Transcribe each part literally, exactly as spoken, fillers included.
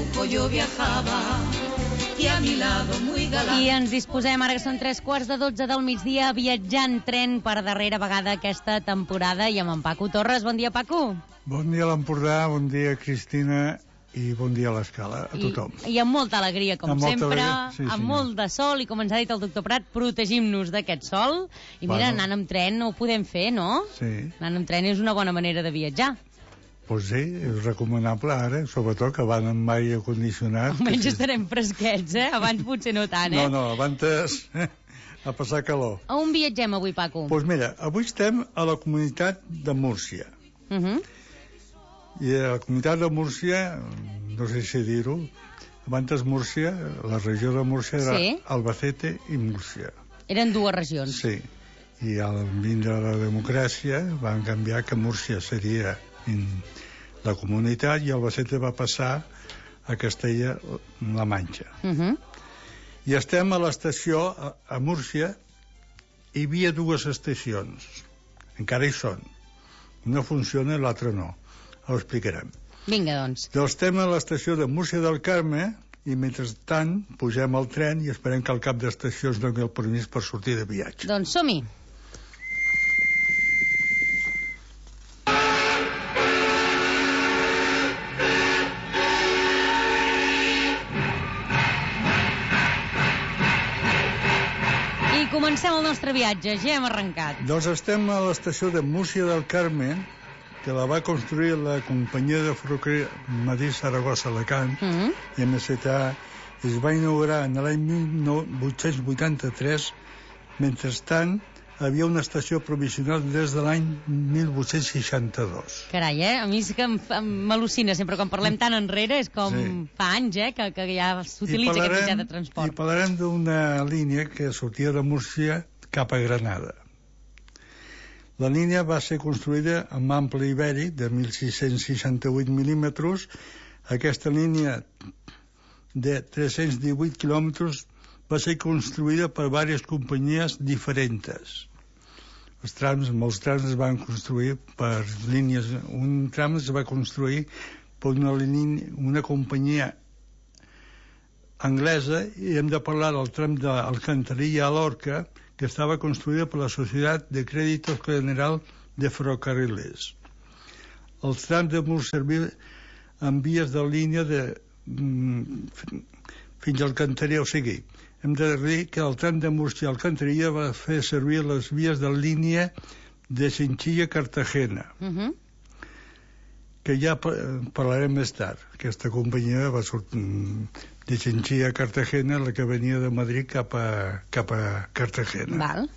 grupo yo viajaba y a mi lado muy galán. I ens disposem, ara que són tres quarts de dotze del migdia, a viatjar en tren per darrera vegada aquesta temporada i amb en Paco Torres. Bon dia, Paco. Bon dia a l'Empordà, bon dia, Cristina, i bon dia a l'Escala, a tothom. I, i amb molta alegria, com amb sempre, sí, amb sí, molt de sol, i com ens ha dit el doctor Prat, protegim-nos d'aquest sol. I mira, bueno, anant amb tren ho podem fer, no? Sí. Anant amb tren és una bona manera de viatjar. Pues sí, és recomanable ara, sobretot que van amb aire condicionat. Almenys sí. Estarem fresquets, eh? Abans potser no tant, eh? No, no, abans eh, a passar calor. A on viatgem avui, Paco? Doncs pues mira, avui estem a la comunitat de Múrcia. Uh -huh. I a la comunitat de Múrcia, no sé si dir-ho, abans Múrcia, la regió de Múrcia era sí. Albacete i Múrcia. Eren dues regions. Sí, i al vindre la democràcia van canviar que Múrcia seria la comunitat i Albacete va passar a Castella-La Manxa. Uh -huh. I estem a l'estació a, a Múrcia. Hi havia dues estacions, encara hi són, una funciona i l'altra no, ho explicarem. Vinga, doncs. Doncs estem a l'estació de Múrcia del Carme i mentrestant pugem al tren i esperem que al cap d'estació ens doni el permís per sortir de viatge. Doncs som-hi. Comencem el nostre viatge, ja hem arrencat. Doncs estem a l'estació de Múrcia del Carme, que la va construir la companyia de ferrocarril Madrid-Saragossa-Alacant, uh -huh. i M S T A, es va inaugurar en l'any mil vuit-cents vuitanta-tres. Mentrestant, havia una estació provisional des de l'any mil vuit-cents seixanta-dos. Carai, eh? A mi sí que m'al·lucina sempre, quan parlem tan enrere, és com sí. fa anys, eh?, que, que ja s'utilitza aquest mitjà de transport. I parlarem d'una línia que sortia de Múrcia cap a Granada. La línia va ser construïda amb ample ibèric de mil sis-cents seixanta-vuit mil·límetres. Aquesta línia de tres-cents divuit quilòmetres va ser construïda per diverses companyies diferents. Els trams, molts trams es van construir per línies. Un tram es va construir per una, línia, una companyia anglesa, i hem de parlar del tram d'Alcantarilla a Lorca, que estava construïda per la Societat de Créditos General de Ferrocarriles. Els trams de Múrcia en vies de línia de, mm, fins a Alcantarilla, o sigui, hem de dir que el tram de Múrcia a Alcantarilla va fer servir les vies de línia de Chinchilla-Cartagena, uh -huh. que ja parlarem més tard. Aquesta companyia va sortir de Chinchilla-Cartagena, la que venia de Madrid cap a, cap a Cartagena. Val.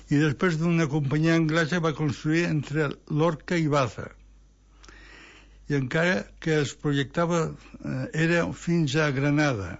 I després d'una companyia anglesa va construir entre Lorca i Baza. I encara que es projectava eh, era fins a Granada.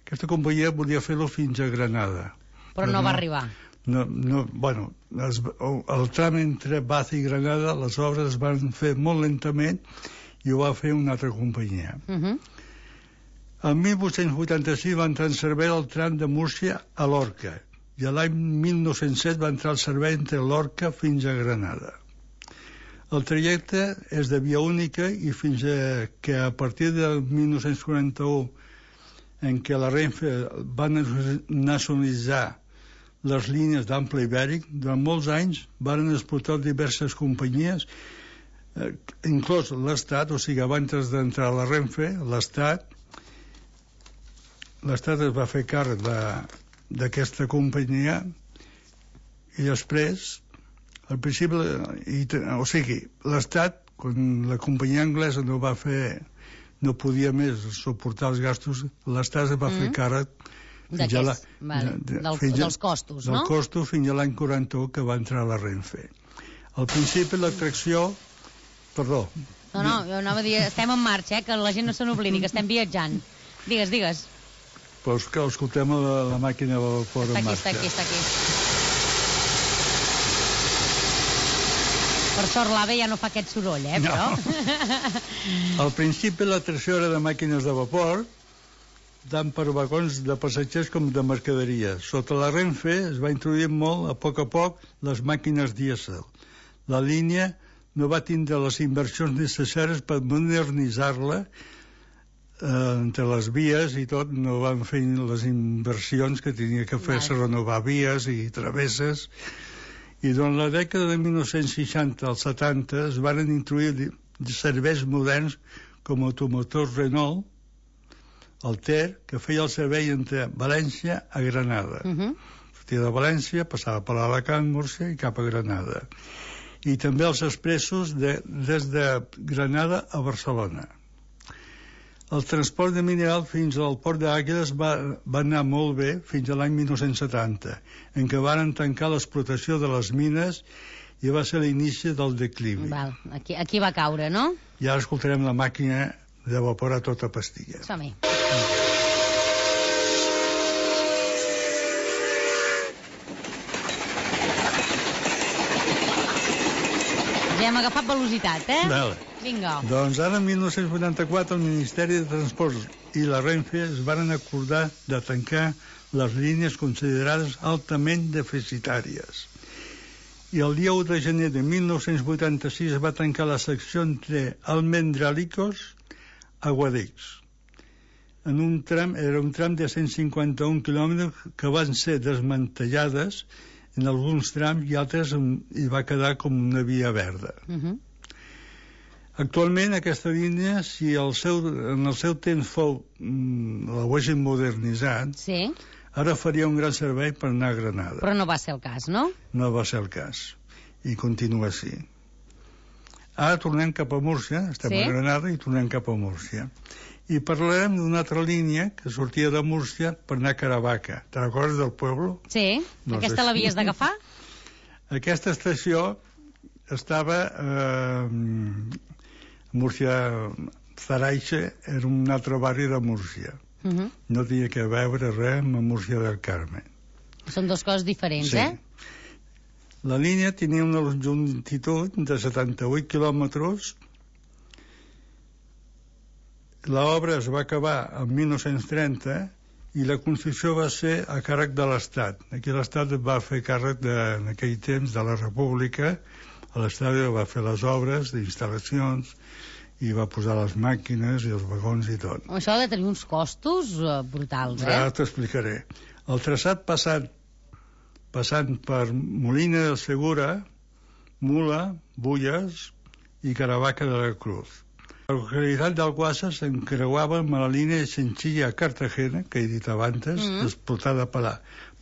Aquesta companyia volia fer-lo fins a Granada. Però, però no, no va arribar. No, no, bueno, es, el tram entre Baza i Granada, les obres es van fer molt lentament i ho va fer una altra companyia. Uh -huh. El mil vuit-cents vuitanta-sis va entrar en servei el tram de Múrcia a Lorca i l'any mil nou-cents set va entrar al servei entre Lorca fins a Granada. El trajecte és de via única i fins a que a partir del mil nou-cents quaranta-u, en què la Renfe va nacionalitzar les línies d'ample ibèric, durant molts anys van explotar diverses companyies, eh, inclòs l'Estat, o sigui, abans d'entrar a la Renfe, l'Estat l'Estat es va fer càrrec d'aquesta companyia i després, al principi, i, o sigui, l'Estat, quan la companyia anglesa no va fer, no podia més suportar els gastos, l'Estat es va mm. fer càrrec fins a la, vale. de, de, Del, fins a, dels costos, del no? Del costos fins a l'any quaranta-u, que va entrar a la Renfe. Al principi l'atracció... Perdó. No, no, jo anava a dir, estem en marxa, eh, que la gent no se n'oblidi, que estem viatjant. Digues, digues. Però que escoltem la, la màquina de vapor en marxa. Està aquí, està aquí, està aquí. Per sort l'AVE ja no fa aquest soroll, eh, però... No. Al principi l'atracció era de màquines de vapor, tant per vagons de passatgers com de mercaderies. Sota la Renfe es va introduir molt, a poc a poc, les màquines dièsel. La línia no va tindre les inversions necessàries per modernitzar-la entre les vies i tot no van fer les inversions que tenia que fer-se, renovar vies i travesses. I durant la dècada de mil nou-cents seixanta als setanta es van introduir serveis moderns com automotors Renault, el Ter, que feia el servei entre València a Granada. Uh-huh. Sortia de València, passava per Alacant, Múrcia i cap a Granada. I també els expressos de, des de Granada a Barcelona. El transport de mineral fins al port d'Àguiles va, va anar molt bé fins a l'any mil nou-cents setanta, en què varen tancar l'explotació de les mines i va ser l'inici del declivi. Val, aquí, aquí va caure, no? I ara escoltarem la màquina de vapor a tota pastilla. Som-hi. Ja hem agafat velocitat, eh? Vale. Vinga. Doncs ara, en mil nou-cents vuitanta-quatre, el Ministeri de Transports i la Renfe es varen acordar de tancar les línies considerades altament deficitàries. I el dia u de gener de mil nou-cents vuitanta-sis es va tancar la secció entre Almendralicos a Guadix. En un tram, era un tram de cent cinquanta-un quilòmetres que van ser desmantellades en alguns trams i altres hi va quedar com una via verda. Uh-huh. Actualment aquesta línia, si el seu, en el seu temps fou mm, l'haguessin modernitzat, sí, ara faria un gran servei per anar a Granada. Però no va ser el cas, no? No va ser el cas. I continua així. Ara tornem cap a Múrcia, estem sí? a Granada i tornem cap a Múrcia. I parlarem d'una altra línia que sortia de Múrcia per anar a Caravaca. Te recordes del poble? Sí. No Aquesta sé. L'havies d'agafar? Aquesta estació estava eh, Múrcia Zaraixe, era un altre barri de Múrcia. Uh-huh. No tenia que veure res amb Múrcia del Carme. Són dues coses diferents, sí. eh? La línia tenia una longitud de setanta-vuit quilòmetres. L'obra es va acabar en mil nou-cents trenta i la construcció va ser a càrrec de l'Estat. Aquí l'Estat va fer càrrec de, en aquell temps de la República. L'Estat va fer les obres d'instal·lacions i va posar les màquines i els vagons i tot. Això ha de tenir uns costos uh, brutals, eh? Ara t'explicaré. El traçat passat, passant per Molina del Segura, Mula, Bulles i Caravaca de la Cruz. La localitat d'Alguassa s'encreuava amb la línia de Chinchilla a Cartagena, que he dit abans, mm-hmm. explotada per la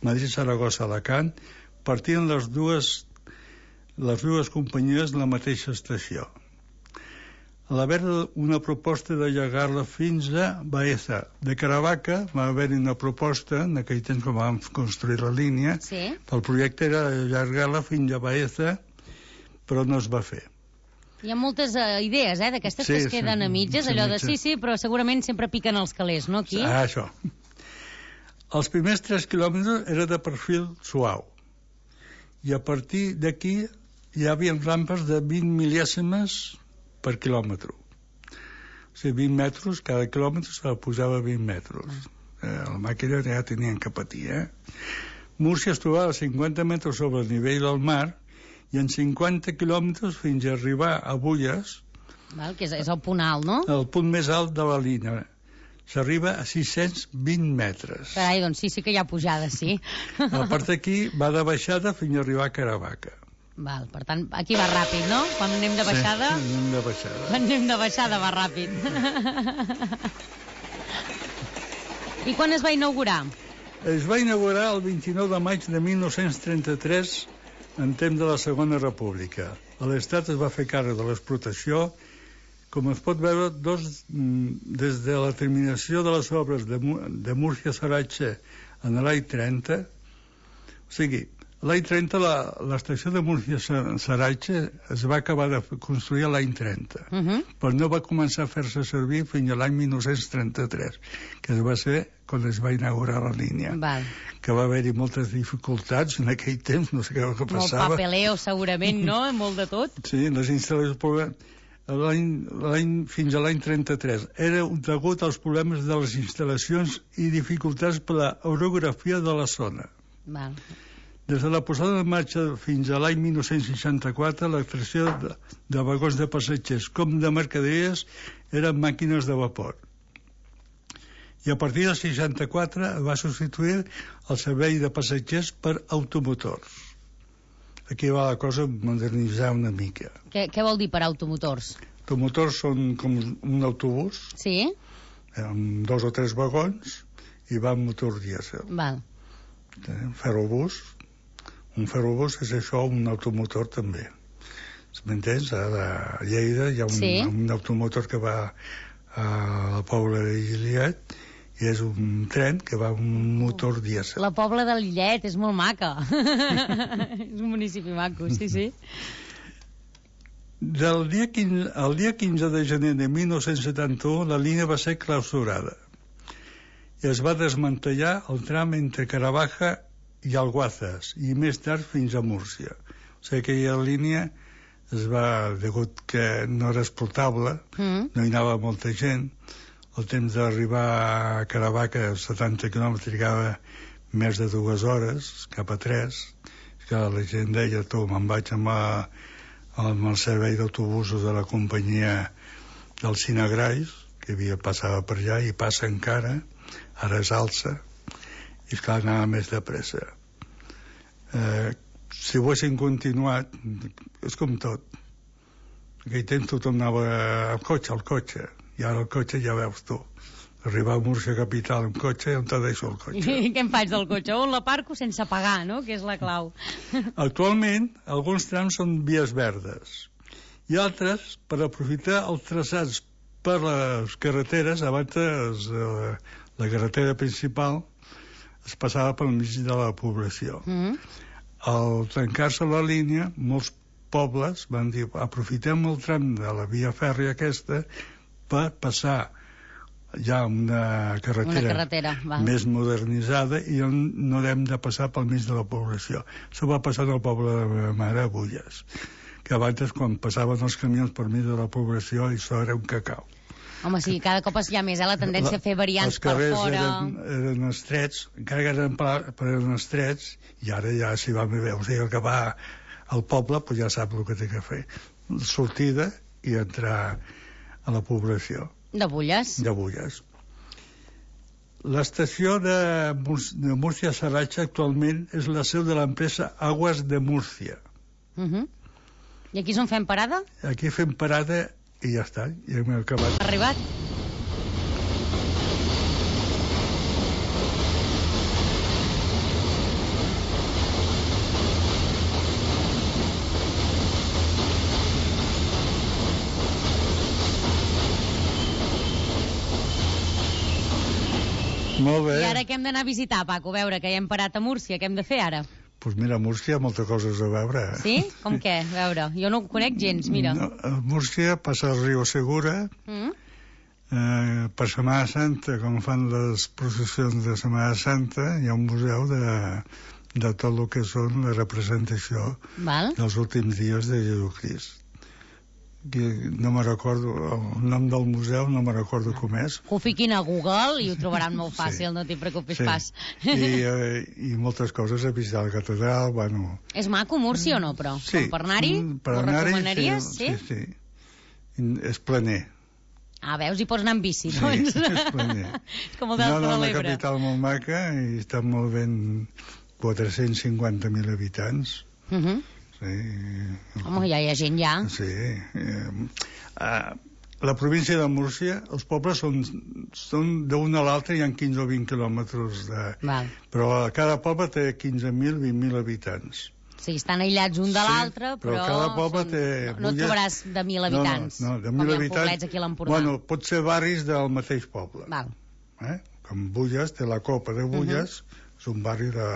Madrid-Saragossa-Alacant, partien les dues, les dues companyies de la mateixa estació. A l'haver una proposta d'allargar-la fins a Baeza. De Caravaca va haver-hi una proposta, en aquell temps quan vam construir la línia, sí. El projecte era allargar-la fins a Baeza, però no es va fer. Hi ha moltes uh, idees, eh, d'aquestes sí, que es queden sí, a mitges, allò de sí, sí, però segurament sempre piquen els calés, no, aquí? Ah, això. Els primers tres quilòmetres era de perfil suau. I a partir d'aquí hi havia rampes de vint mil·lèsimes per quilòmetre. O sigui, vint metres, cada quilòmetre se la posava vint metres. Eh, la màquina ja tenien que patir, eh? Múrcia es trobava a cinquanta metres sobre el nivell del mar i en cinquanta quilòmetres fins a arribar a Bulles. Val, que és, és el punt alt, no? El punt més alt de la línia. S'arriba a sis-cents vint metres. Carai, doncs sí, sí que hi ha pujada, sí. A part d'aquí va de baixada fins a arribar a Caravaca. Val, per tant, aquí va ràpid, no? Quan anem de baixada... Sí, anem de baixada. Quan anem de baixada va ràpid. I quan es va inaugurar? Es va inaugurar el vint-i-nou de maig de mil nou-cents trenta-tres, en temps de la Segona República. L'Estat es va fer càrrec de l'explotació, com es pot veure, dos, des de la terminació de les obres de, de Múrcia-Saratxe en l'any trenta, o sigui, l'any trenta l'estació de Múrcia-Saratxe es va acabar de construir l'any trenta, uh-huh. però no va començar a fer-se servir fins a l'any mil nou-cents trenta-tres, que va ser quan es va inaugurar la línia. Val. Que va haver-hi moltes dificultats en aquell temps, no sé què que passava. Molt papeleo, segurament, no? Molt de tot. Sí, les instal·lacions... L'any, fins a l'any trenta-tres. Era degut als problemes de les instal·lacions i dificultats per la orografia de la zona. Val. Des de la posada en marxa fins a l'any mil nou-cents seixanta-quatre, l'extracció de, de vagons de passatgers com de mercaderies eren màquines de vapor. I a partir del seixanta-quatre va substituir el servei de passatgers per automotors. Aquí va la cosa modernitzar una mica. Què, què vol dir per automotors? Automotors són com un autobús, Sí? amb dos o tres vagons, i va amb motor dièsel. Val. Un ferrobús, un ferrobús és això, un automotor també. M'entens? A Lleida hi ha un, Sí. un automotor que va a la Pobla de Lillet i és un tren que va amb un motor dièsel. La Pobla de Lillet és molt maca. És un municipi maco, sí, sí. Del dia quinze, el dia quinze de gener de mil nou-cents setanta-u la línia va ser clausurada i es va desmantellar el tram entre Caravaca i Alguazas i més tard fins a Múrcia. O sigui, aquella línia es va, degut que no era exportable, Mm. no hi anava molta gent, el temps d'arribar a Caravaca, setanta quilòmetres, trigava més de dues hores, cap a tres, que la gent deia, tu, me'n vaig amb, a, amb el servei d'autobusos de la companyia del Cinegrais, que havia passava per allà, i passa encara, ara és alça, i esclar, anava més de pressa. Eh, si ho haguessin continuat, és com tot. En aquell temps tothom anava al cotxe, al cotxe, i ara el cotxe ja veus tu. Arribar a Múrcia capital amb cotxe, on te deixo el cotxe? I què em faig del cotxe? On l'aparco sense pagar, no? Que és la clau. Actualment, alguns trams són vies verdes i altres, per aprofitar els traçats per les carreteres, abans eh, la carretera principal es passava pel mig de la població. Mm. Al tancar-se la línia, molts pobles van dir aprofitem el tram de la via fèrria aquesta per passar ja una carretera, Una carretera, val. més modernitzada i on no hem de passar pel mig de la població. Això va passar al poble de la meva mare, a Bulles, que abans, quan passaven els camions per mig de la població, això era un cacau. Home, sí, cada cop hi ha més, eh, la tendència a fer variants per fora. Els carrers eren, eren estrets, encara que eren, però eren estrets, i ara ja s'hi va més bé. O sigui, el que va al poble pues ja sap el que té que fer. Sortida i entrar a la població. De Bulles? De Bulles. L'estació de, Múr- de Múrcia-Saratxa actualment és la seu de l'empresa Aguas de Múrcia. Uh -huh. I aquí és on fem parada? Aquí fem parada i ja està, ja hem acabat. Arribat? Molt bé. I ara què hem d'anar a visitar, Paco? A veure, que ja hem parat a Múrcia, què hem de fer ara? Doncs pues mira, a Múrcia hi ha moltes coses a veure. Sí? Com què? A veure, jo no ho conec gens, mira. No, a Múrcia passa el riu Segura, Mm? eh, per Setmana Santa, com fan les processions de Setmana Santa, hi ha un museu de, de tot el que són la representació Val? dels últims dies de Jesucrist. Que no me recordo, el nom del museu no me recordo com és. Ho fiquin a Google i ho trobaran molt fàcil, Sí. no t'hi preocupis Sí. pas. I, eh, I moltes coses, a visitar la catedral, bueno... És maco Múrcia o no, però? Sí. Com per anar-hi? Mm, per Ho anar-hi, recomanaries? Sí, sí, sí. És planer. Ah, veus, hi pots anar amb bici, Sí, doncs. és planer. És com el No, Delta no, de la l'Ebre. capital molt maca i està molt ben quatre-cents cinquanta mil habitants. Uh -huh. Sí. Home, ja hi ha gent ja. Sí. Eh, eh, la província de Múrcia, els pobles són, són d'un a l'altre, hi ha quinze o vint quilòmetres de... Val. Però cada poble té quinze mil, vint mil habitants. O sigui, estan aïllats un de Sí, l'altre, però però, cada poble són... té- no, no et Bulles- trobaràs de mil habitants, No, no, no de com mil hi ha habitants. poblets aquí a l'Empordà. Bueno, pot ser barris del mateix poble. Val. Eh? Com Bulles, té la Copa de Bulles, uh -huh. és un barri de,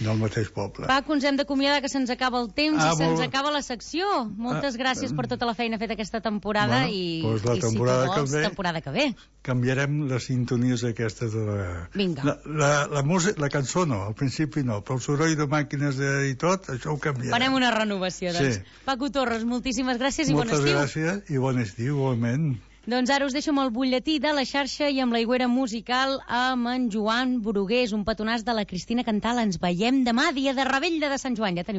del mateix poble. Paco, ens hem d'acomiadar, que se'ns acaba el temps Ah, i se'ns molt- acaba la secció. Moltes Ah, gràcies per tota la feina feta aquesta temporada Bueno, i, doncs la i si tu temporada que vols, ve- temporada que ve. Canviarem les sintonies aquestes de la... Vinga. La, la, la, música, la cançó no, al principi no, però el soroll de màquines de, i tot, això ho canviarem. Farem una renovació, doncs. Sí. Paco Torres, moltíssimes gràcies i bon Moltes estiu. gràcies i bon estiu, igualment. Doncs ara us deixo amb el butlletí de la xarxa i amb l'aigüera musical amb en Joan Brugués, un petonàs de la Cristina Cantal. Ens veiem demà, dia de Rebella de Sant Joan. Ja teniu